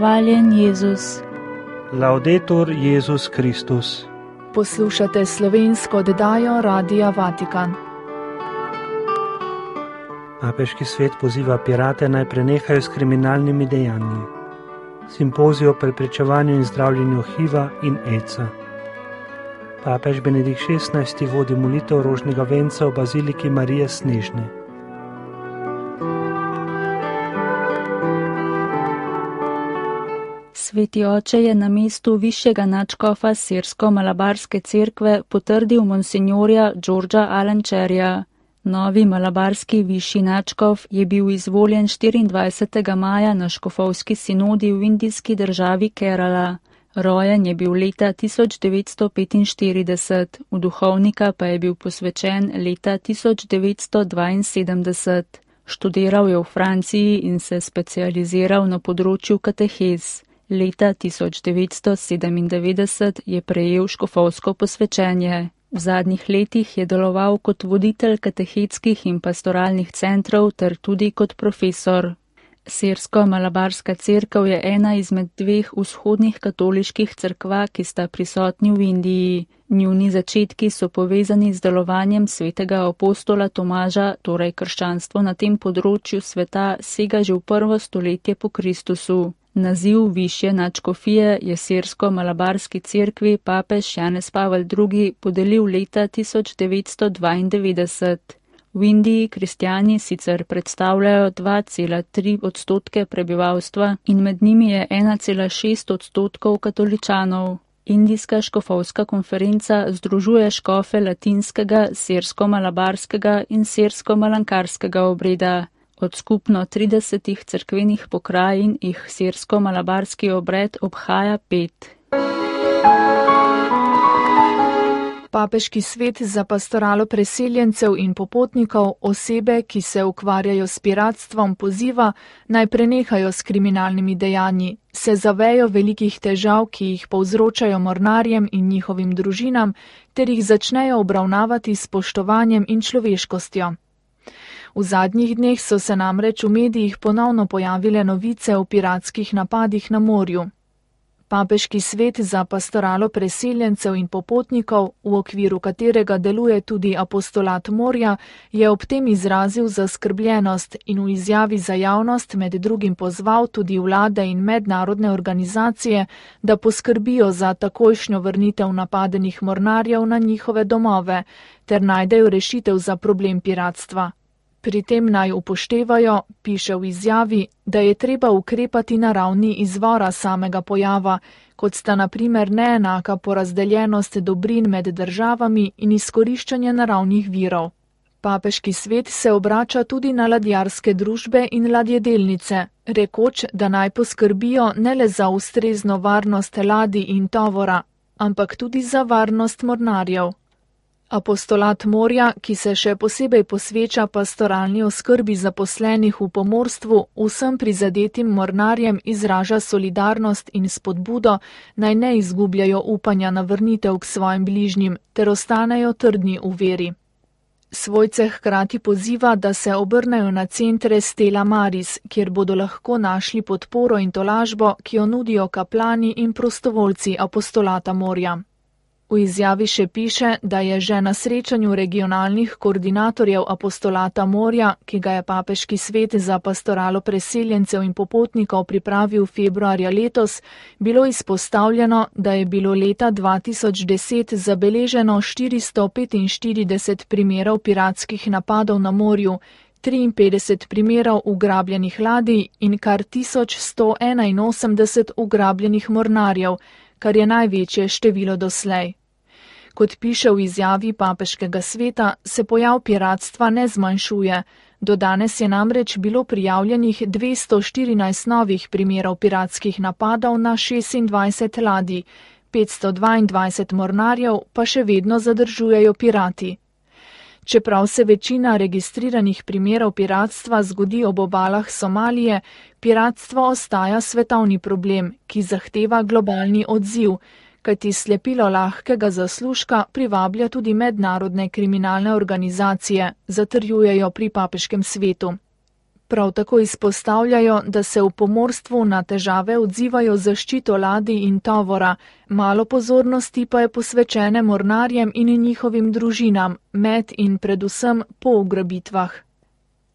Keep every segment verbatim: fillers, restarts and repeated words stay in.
hvaljen Jezus. Laudetur Jezus Kristus. Poslušate slovensko oddajo Radia Vatikan. Papeški svet poziva pirate naj prenehajo s kriminalnimi dejanji. Simpozij o preprečevanju in zdravljenju HIV-a in AIDS-a. Papež Benedikt šestnajsti vodi molitev rožnega venca v baziliki Marije Snežne. Sveti oče je na mestu višjega nadškofa sirsko-malabarske cerkve potrdil monsinjorja Georgea Alancherja. Novi malabarski višji nadškof je bil izvoljen štiriindvajsetega maja na škofovski sinodi v indijski državi Kerala. Rojen je bil leta tisoč devetsto petinštirideset, v duhovnika pa je bil posvečen leta tisoč devetsto dvainsedemdeset. Študiral je v Franciji in se specializiral na področju katehez. Leta tisoč devetsto sedemindevetdeset je prejel škofovsko posvečenje. V zadnjih letih je deloval kot voditelj katehetskih in pastoralnih centrov ter tudi kot profesor. Sirsko-malabarska cerkev je ena izmed dveh vzhodnih katoliških cerkva, ki sta prisotni v Indiji. Njuni začetki so povezani z delovanjem svetega apostola Tomaža, torej krščanstvo na tem področju sveta sega že v prvo stoletje po Kristusu. Naziv višje nadškofije je sirsko-malabarski cerkvi papež Janez Pavel drugi podelil leta tisoč devetsto dvaindevetdeset. V Indiji kristjani sicer predstavljajo dva cela tri odstotke prebivalstva in med njimi je ena cela šest odstotkov katoličanov. Indijska škofovska konferenca združuje škofe latinskega, sirsko-malabarskega in sirsko-malankarskega obreda. Od skupno tridesetih cerkvenih pokrajin jih sirsko-malabarski obred obhaja pet. Papeški svet za pastoralo preseljencev in popotnikov osebe, ki se ukvarjajo s piratstvom, poziva, naj prenehajo s kriminalnimi dejanji, se zavejo velikih težav, ki jih povzročajo mornarjem in njihovim družinam, ter jih začnejo obravnavati s spoštovanjem in človeškostjo. V zadnjih dneh so se namreč v medijih ponovno pojavile novice o piratskih napadih na morju. Papeški svet za pastoralo preseljencev in popotnikov, v okviru katerega deluje tudi apostolat morja, je ob tem izrazil zaskrbljenost in v izjavi za javnost med drugim pozval tudi vlade in mednarodne organizacije, da poskrbijo za takojšnjo vrnitev napadenih mornarjev na njihove domove ter najdejo rešitev za problem piratstva. Pri tem naj upoštevajo, piše v izjavi, da je treba ukrepati na ravni izvora samega pojava, kot sta na primer neenaka porazdeljenost dobrin med državami in izkoriščanje naravnih virov. Papeški svet se obrača tudi na ladjarske družbe in ladjedelnice, rekoč, da naj poskrbijo ne le za ustrezno varnost ladij in tovora, ampak tudi za varnost mornarjev. Apostolat morja, ki se še posebej posveča pastoralni oskrbi zaposlenih v pomorstvu, vsem prizadetim mornarjem izraža solidarnost in spodbudo, naj ne izgubljajo upanja na vrnitev k svojim bližnjim, ter ostanejo trdni v veri. Svojce hkrati poziva, da se obrnejo na centre Stella Maris, kjer bodo lahko našli podporo in tolažbo, ki jo nudijo kaplani in prostovoljci apostolata morja. V izjavi še piše, da je že na srečanju regionalnih koordinatorjev apostolata morja, ki ga je papeški svet za pastoralo preseljencev in popotnikov pripravil februarja letos, bilo izpostavljeno, da je bilo leta dva tisoč deset zabeleženo štiristo petinštirideset primerov piratskih napadov na morju, triinpetdeset primerov ugrabljenih ladij in kar tisoč sto enainosemdeset ugrabljenih mornarjev, kar je največje število doslej. Kot piše v izjavi papeškega sveta, se pojav piratstva ne zmanjšuje. Do danes je namreč bilo prijavljenih dvesto štirinajst novih primerov piratskih napadov na šestindvajset ladij, petsto dvaindvajset mornarjev pa še vedno zadržujejo pirati. Čeprav se večina registriranih primerov piratstva zgodi ob obalah Somalije, piratstvo ostaja svetovni problem, ki zahteva globalni odziv, kajti slepilo lahkega zaslužka privablja tudi mednarodne kriminalne organizacije, zatrjujejo pri papeškem svetu. Prav tako izpostavljajo, da se v pomorstvu na težave odzivajo zaščito ladij in tovora, malo pozornosti pa je posvečene mornarjem in njihovim družinam, med in predvsem po ugrabitvah.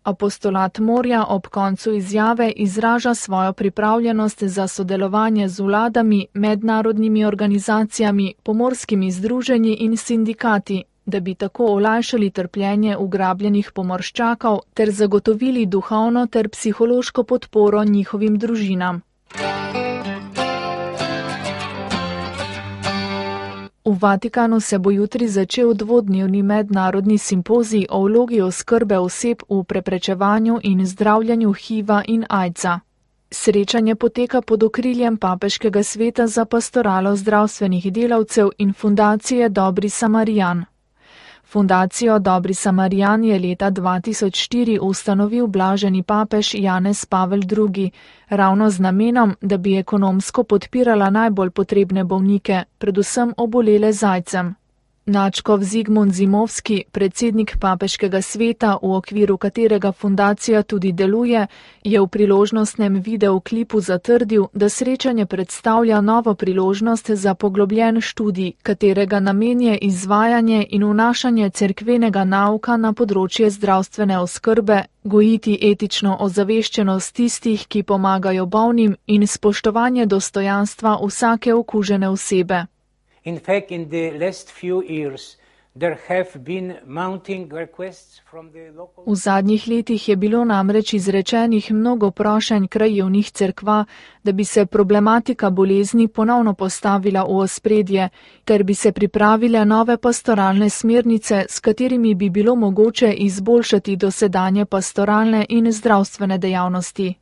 Apostolat morja ob koncu izjave izraža svojo pripravljenost za sodelovanje z vladami, mednarodnimi organizacijami, pomorskimi združenji in sindikati, da bi tako olajšali trpljenje ugrabljenih pomorščakov ter zagotovili duhovno ter psihološko podporo njihovim družinam. V Vatikanu se bo jutri začel dvodnevni mednarodni simpozij o vlogi oskrbe oseb v preprečevanju in zdravljenju hiva in aidsa. Srečanje poteka pod okriljem Papeškega sveta za pastoralo zdravstvenih delavcev in fundacije Dobri Samarijan. Fundacijo Dobri Samarijan je leta dva tisoč štiri ustanovil blaženi papež Janez Pavel drugi, ravno z namenom, da bi ekonomsko podpirala najbolj potrebne bolnike, predvsem obolele z aidsom. Nadškof Zigmund Zimovski, predsednik Papeškega sveta, v okviru katerega fundacija tudi deluje, je v priložnostnem videoklipu zatrdil, da srečanje predstavlja novo priložnost za poglobljen študij, katerega namen je izvajanje in vnašanje cerkvenega nauka na področje zdravstvene oskrbe, gojiti etično ozaveščenost tistih, ki pomagajo bolnim, in spoštovanje dostojanstva vsake okužene osebe. In fact, in the last few years, there have been mounting requests from the local... V zadnjih letih je bilo namreč izrečenih mnogo prošenj krajevnih cerkva, da bi se problematika bolezni ponovno postavila v ospredje, ker bi se pripravile nove pastoralne smernice, s katerimi bi bilo mogoče izboljšati dosedanje pastoralne in zdravstvene dejavnosti.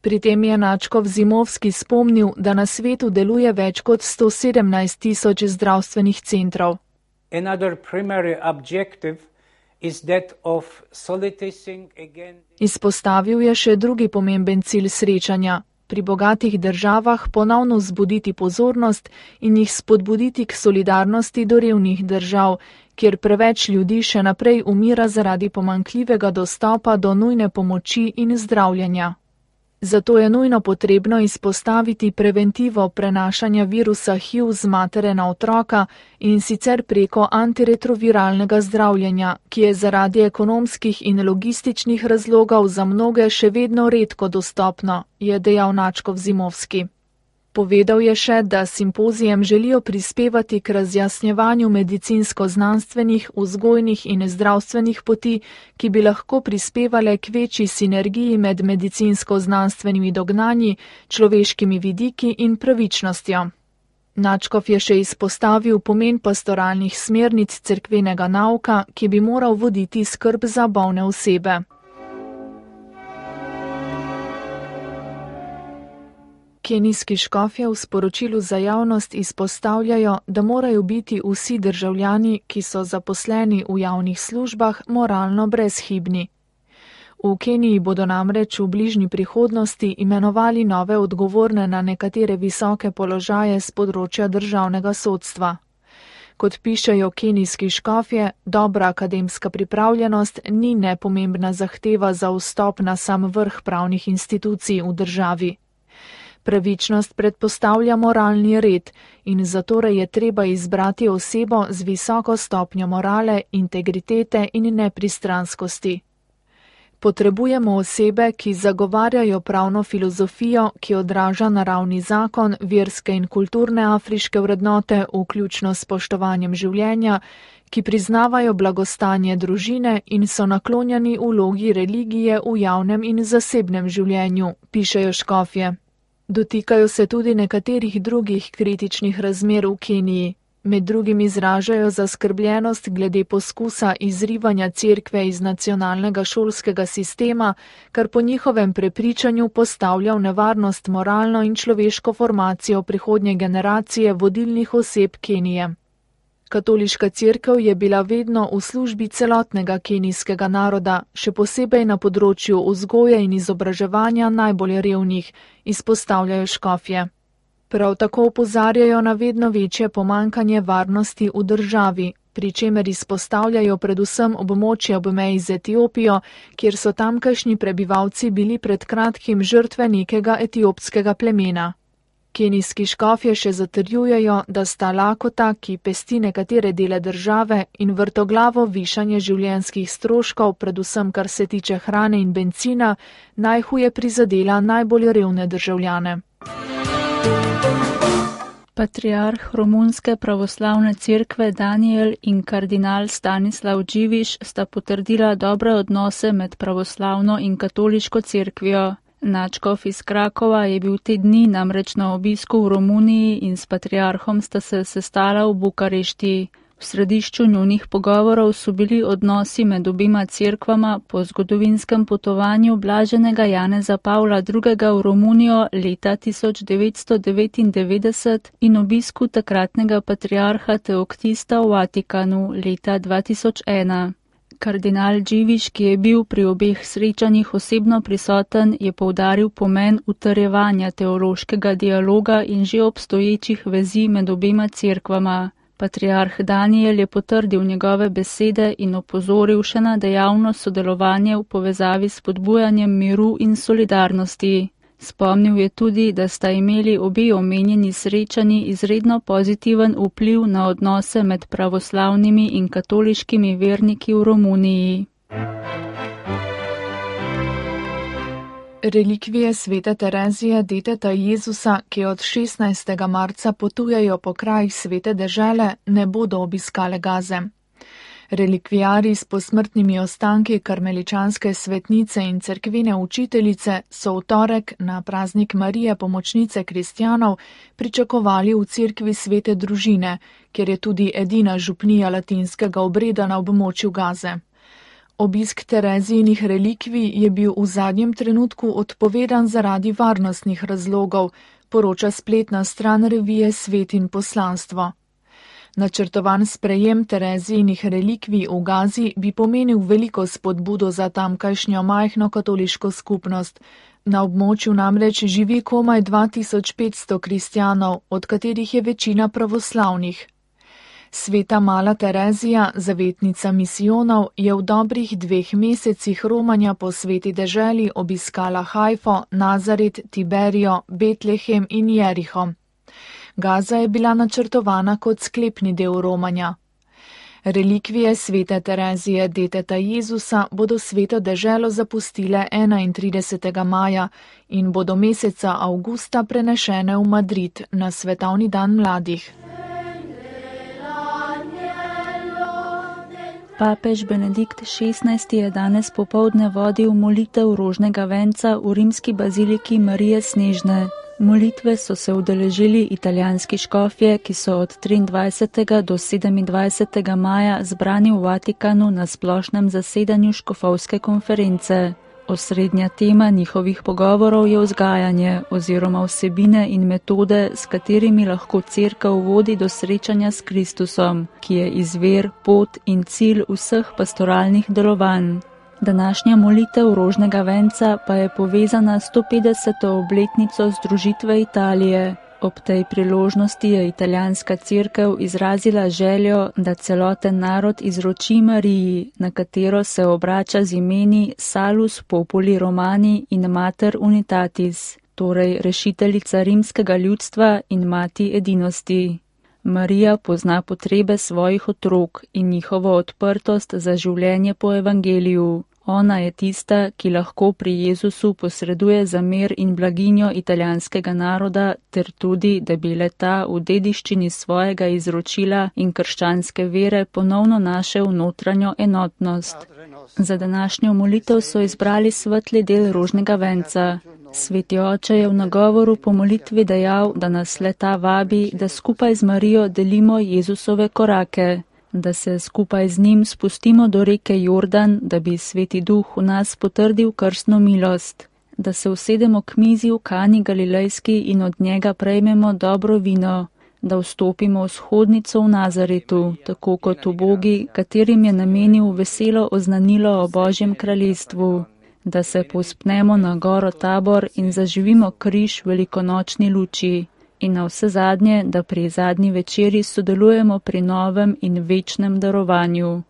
Pri tem je nadškof Zimovski spomnil, da na svetu deluje več kot sto sedemnajst tisoč zdravstvenih centrov. Izpostavil je še drugi pomemben cilj srečanja: pri bogatih državah ponovno zbuditi pozornost in jih spodbuditi k solidarnosti do revnih držav, kjer preveč ljudi še naprej umira zaradi pomanjkljivega dostopa do nujne pomoči in zdravljenja. Zato je nujno potrebno izpostaviti preventivo prenašanja virusa H I V z matere na otroka, in sicer preko antiretroviralnega zdravljenja, ki je zaradi ekonomskih in logističnih razlogov za mnoge še vedno redko dostopno, je dejal nadškof Zimovski. Povedal je še, da simpozijem želijo prispevati k razjasnjevanju medicinsko-znanstvenih, vzgojnih in zdravstvenih poti, ki bi lahko prispevale k večji sinergiji med medicinsko-znanstvenimi dognanji, človeškimi vidiki in pravičnostjo. Nadškof je še izpostavil pomen pastoralnih smernic cerkvenega nauka, ki bi moral voditi skrb za bolne osebe. Kenijski škofje v sporočilu za javnost izpostavljajo, da morajo biti vsi državljani, ki so zaposleni v javnih službah, moralno brezhibni. V Keniji bodo namreč v bližnji prihodnosti imenovali nove odgovorne na nekatere visoke položaje z področja državnega sodstva. Kot pišejo kenijski škofje, dobra akademska pripravljenost ni nepomembna zahteva za vstop na sam vrh pravnih institucij v državi. Pravičnost predpostavlja moralni red in zatorej je treba izbrati osebo z visoko stopnjo morale, integritete in nepristranskosti. Potrebujemo osebe, ki zagovarjajo pravno filozofijo, ki odraža naravni zakon, verske in kulturne afriške vrednote, vključno s spoštovanjem življenja, ki priznavajo blagostanje družine in so naklonjeni vlogi religije v javnem in zasebnem življenju, pišejo škofje. Dotikajo se tudi nekaterih drugih kritičnih razmer v Keniji. Med drugim izražajo zaskrbljenost glede poskusa izrivanja cerkve iz nacionalnega šolskega sistema, kar po njihovem prepričanju postavlja v nevarnost moralno in človeško formacijo prihodnje generacije vodilnih oseb Kenije. Katoliška cerkev je bila vedno v službi celotnega kenijskega naroda, še posebej na področju vzgoje in izobraževanja najbolj revnih, izpostavljajo škofje. Prav tako opozarjajo na vedno večje pomanjkanje varnosti v državi, pri čemer izpostavljajo predvsem območje ob meji z Etiopijo, kjer so tamkajšnji prebivalci bili pred kratkim žrtve nekega etiopskega plemena. Kenijski škofje še zatrjujejo, da sta lakota, ki pesti nekatere dele države, in vrtoglavo višanje življenjskih stroškov, predvsem kar se tiče hrane in bencina, najhuje prizadela najbolj revne državljane. Patriarh Romunske pravoslavne cerkve Daniel in kardinal Stanislav Dživiš sta potrdila dobre odnose med pravoslavno in katoliško cerkvijo. Načkov iz Krakova je bil te dni namreč na obisku v Romuniji in s patriarhom sta se sestala v Bukarešti. V središču njunih pogovorov so bili odnosi med obima cerkvama po zgodovinskem potovanju blaženega Janeza Pavla drugega. v Romunijo leta tisoč devetsto devetindevetdeset in obisku takratnega patriarha Teoktista v Vatikanu leta dva tisoč ena. Kardinal Dživiš, ki je bil pri obeh srečanjih osebno prisoten, je poudaril pomen utrjevanja teološkega dialoga in že obstoječih vezi med obema cerkvama. Patriarh Daniel je potrdil njegove besede in opozoril še na dejavno sodelovanje v povezavi s spodbujanjem miru in solidarnosti. Spomnil je tudi, da sta imeli obe omenjeni srečanji izredno pozitiven vpliv na odnose med pravoslavnimi in katoliškimi verniki v Romuniji. Relikvije svete Terezije, deteta Jezusa, ki od šestnajstega marca potujejo po krajih svete dežele, ne bodo obiskale Gaze. Relikvijarji s posmrtnimi ostanki karmeličanske svetnice in cerkvene učiteljice so v torek na praznik Marije pomočnice kristjanov pričakovali v cerkvi svete družine, kjer je tudi edina župnija latinskega obreda na območju Gaze. Obisk Terezijinih relikvij je bil v zadnjem trenutku odpovedan zaradi varnostnih razlogov, poroča spletna stran revije Svet in poslanstvo. Načrtovan sprejem Terezijinih relikvij v Gazi bi pomenil veliko spodbudo za tamkajšnjo majhno katoliško skupnost. Na območju namreč živi komaj dva tisoč petsto kristjanov, od katerih je večina pravoslavnih. Sveta mala Terezija, zavetnica misijonov, je v dobrih dveh mesecih romanja po sveti deželi obiskala Hajfo, Nazaret, Tiberijo, Betlehem in Jeriho. Gaza je bila načrtovana kot sklepni del romanja. Relikvije svete Terezije, deteta Jezusa, bodo sveto deželo zapustile enaintridesetega maja in bodo meseca avgusta prenešene v Madrid na svetovni dan mladih. Papež Benedikt šestnajsti je danes popoldne vodil molitev rožnega venca v rimski baziliki Marije Snežne. Molitve so se udeležili italijanski škofje, ki so od triindvajsetega do sedemindvajsetega maja zbrani v Vatikanu na splošnem zasedanju škofovske konference. Osrednja tema njihovih pogovorov je vzgajanje oziroma vsebine in metode, s katerimi lahko cerkev vodi do srečanja s Kristusom, ki je izvir, pot in cilj vseh pastoralnih delovanj. Današnja molitev rožnega venca pa je povezana s stopetdeseto obletnico združitve Italije. Ob tej priložnosti je italijanska cerkev izrazila željo, da celoten narod izroči Mariji, na katero se obrača z imeni Salus Populi Romani in Mater Unitatis, torej rešiteljica rimskega ljudstva in mati edinosti. Marija pozna potrebe svojih otrok in njihovo odprtost za življenje po evangeliju. Ona je tista, ki lahko pri Jezusu posreduje za mir in blaginjo italijanskega naroda, ter tudi, da bi le-ta v dediščini svojega izročila in krščanske vere ponovno našel notranjo enotnost. Za današnjo molitev so izbrali svetli del rožnega venca. Sveti oče je v nagovoru po molitvi dejal, da nas le-ta vabi, da skupaj z Marijo delimo Jezusove korake, da se skupaj z njim spustimo do reke Jordan, da bi Sveti Duh v nas potrdil krstno milost, da se usedemo k mizi v Kani Galilejski in od njega prejmemo dobro vino, da vstopimo v shodnico v Nazaretu, tako kot ubogi, katerim je namenil veselo oznanilo o Božjem kraljestvu, da se povzpnemo na goro Tabor in zaživimo križ velikonočni luči, In na vse zadnje, da pri zadnji večeri sodelujemo pri novem in večnem darovanju.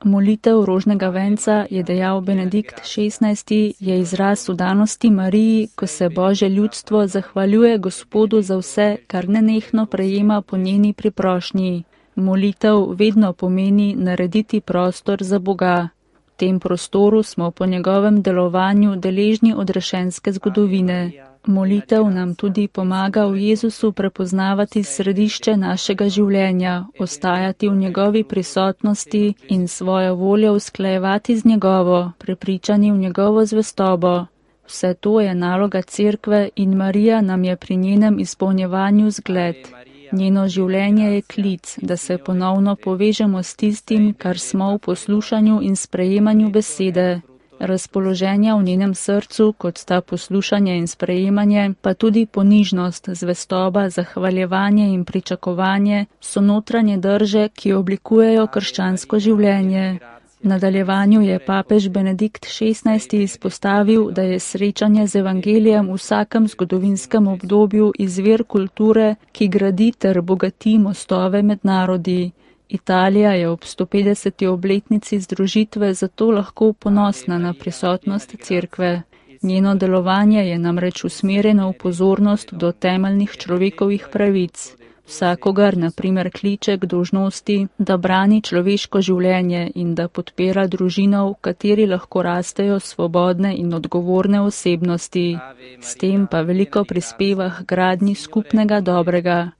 Molitev rožnega venca, je dejal Benedikt šestnajsti, je izraz vdanosti Mariji, ko se Božje ljudstvo zahvaljuje Gospodu za vse, kar nenehno prejema po njeni priprošnji. Molitev vedno pomeni narediti prostor za Boga. V tem prostoru smo po njegovem delovanju deležni odrešenske zgodovine. Molitev nam tudi pomaga v Jezusu prepoznavati središče našega življenja, ostajati v njegovi prisotnosti in svojo voljo usklajevati z njegovo, prepričani v njegovo zvestobo. Vse to je naloga Cerkve in Marija nam je pri njenem izpolnjevanju zgled. Njeno življenje je klic, da se ponovno povežemo s tistim, kar smo v poslušanju in sprejemanju besede. Razpoloženja v njenem srcu, kot sta poslušanje in sprejemanje, pa tudi ponižnost, zvestoba, zahvaljevanje in pričakovanje, so notranje drže, ki oblikujejo krščansko življenje. V nadaljevanju je papež Benedikt šestnajsti izpostavil, da je srečanje z evangelijem v vsakem zgodovinskem obdobju izvir kulture, ki gradi ter bogati mostove med narodi. Italija je ob sto petdeseti obletnici združitve zato lahko ponosna na prisotnost Cerkve. Njeno delovanje je namreč usmerjeno v pozornost do temeljnih človekovih pravic. Vsakogar, na primer, kliče k dolžnosti, da brani človeško življenje in da podpira družino, v kateri lahko rastejo svobodne in odgovorne osebnosti. S tem pa veliko prispeva k gradnji skupnega dobrega.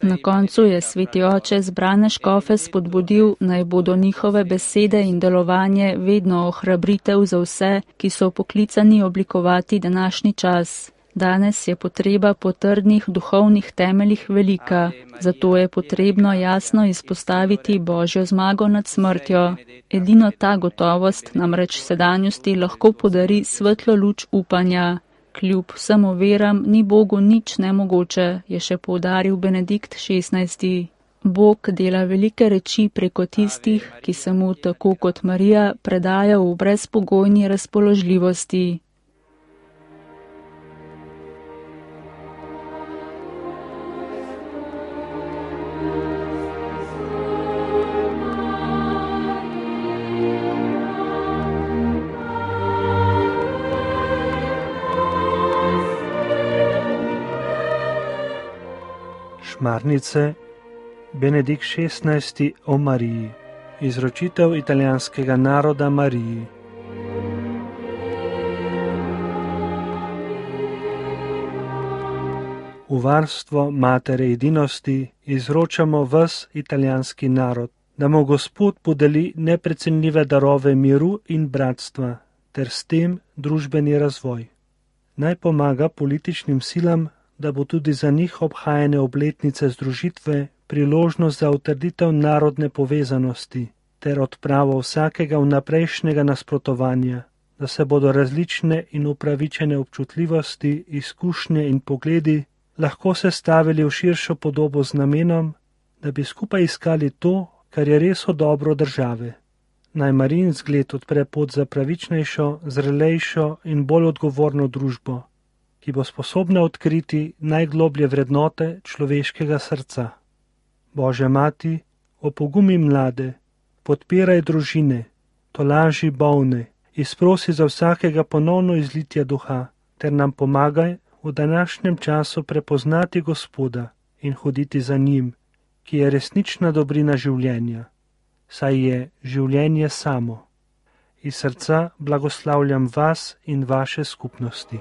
Na koncu je sveti oče zbrane škofe spodbudil, naj bodo njihove besede in delovanje vedno ohrabritev za vse, ki so poklicani oblikovati današnji čas. Danes je potreba po trdnih duhovnih temeljih velika, zato je potrebno jasno izpostaviti Božjo zmago nad smrtjo. Edino ta gotovost namreč sedanjosti lahko podari svetlo luč upanja. Kljub vsem oviram ni Bogu nič nemogoče, je še poudaril Benedikt šestnajsti. Bog dela velike reči preko tistih, ki se mu tako kot Marija predajo v brezpogojni razpoložljivosti. Šmarnice, Benedikt šestnajsti o Mariji, izročitev italijanskega naroda Mariji. V varstvo matere edinosti izročamo ves italijanski narod, da mu Gospod podeli neprecenljive darove miru in bratstva, ter s tem družbeni razvoj. Naj pomaga političnim silam, da bo tudi za njih obhajane obletnice združitve priložnost za utrditev narodne povezanosti ter odpravo vsakega vnaprejšnjega nasprotovanja, da se bodo različne in upravičene občutljivosti, izkušnje in pogledi lahko sestavili v širšo podobo z namenom, da bi skupaj iskali to, kar je res v dobro države. Naj Marijin zgled odpre pot za pravičnejšo, zrelejšo in bolj odgovorno družbo, ki bo sposobna odkriti najgloblje vrednote človeškega srca. Božja mati, opogumi mlade, podpiraj družine, tolaži bolne, izprosi za vsakega ponovno izlitje duha, ter nam pomagaj v današnjem času prepoznati Gospoda in hoditi za njim, ki je resnična dobrina življenja, saj je življenje samo. Iz srca blagoslavljam vas in vaše skupnosti.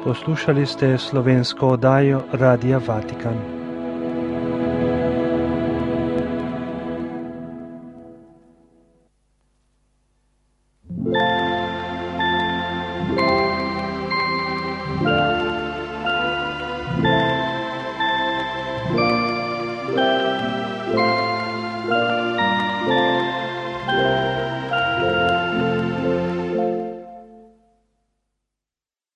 Poslušali ste slovensko oddajo Radia Vatikan.